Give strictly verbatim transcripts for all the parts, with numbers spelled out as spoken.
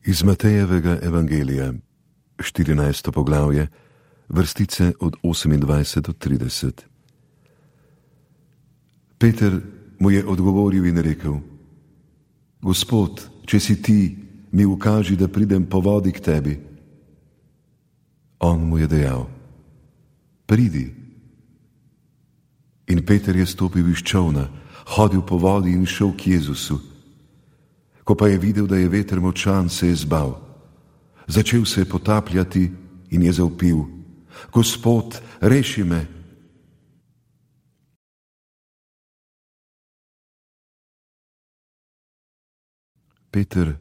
Iz Matejevega evangelija, štirinajsto poglavje, vrstice od osemindvajset do trideset. Peter mu je odgovoril in rekel: Gospod, če si ti, mi ukaži, da pridem po vodi k tebi. On mu je dejal: Pridi. In Peter je stopil iz čolna, hodil po vodi in šel k Jezusu. Ko pa je videl, da je veter močan, se je zbal. Začel se je potapljati in je zavpil: Gospod, reši me. Peter,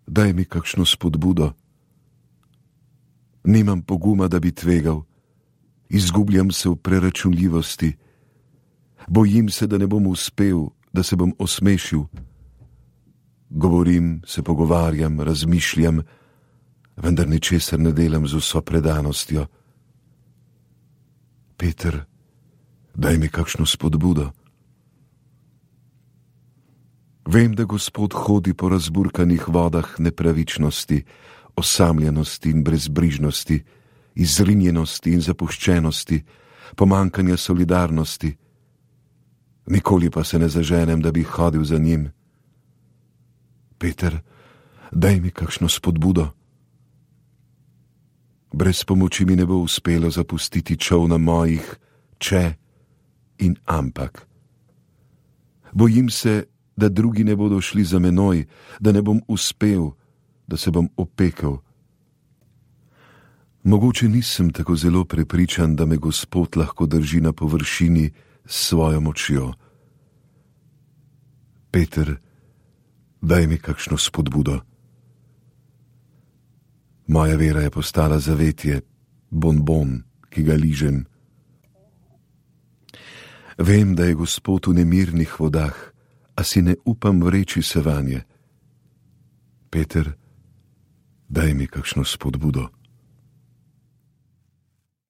daj mi kakšno spodbudo. Nimam poguma, da bi tvegal. Izgubljam se v preračunljivosti. Bojim se, da ne bom uspel, da se bom osmešil. Govorim, se pogovarjam, razmišljam, vendar ničesar ne delam z vso predanostjo. Peter, daj mi kakšno spodbudo. Vem, da Gospod hodi po razburkanih vodah nepravičnosti, osamljenosti in brezbrižnosti, izrinjenosti in zapuščenosti, pomankanja solidarnosti. Nikoli pa se ne zaženem, da bi hodil za njim. Peter, daj mi kakšno spodbudo. Brez pomoči mi ne bo uspelo zapustiti čolna mojih če in ampak. Bojim se, da drugi ne bodo šli za menoj, da ne bom uspel, da se bom opekel. Mogoče nisem tako zelo prepričan, da me Gospod lahko drži na površini s svojo močjo. Peter, daj mi kakšno spodbudo. Moja vera je postala zavetje, bonbon, ki ga ližem. Vem, da je Gospod v nemirnih vodah, a si ne upam vreči se vanje. Peter, daj mi kakšno spodbudo.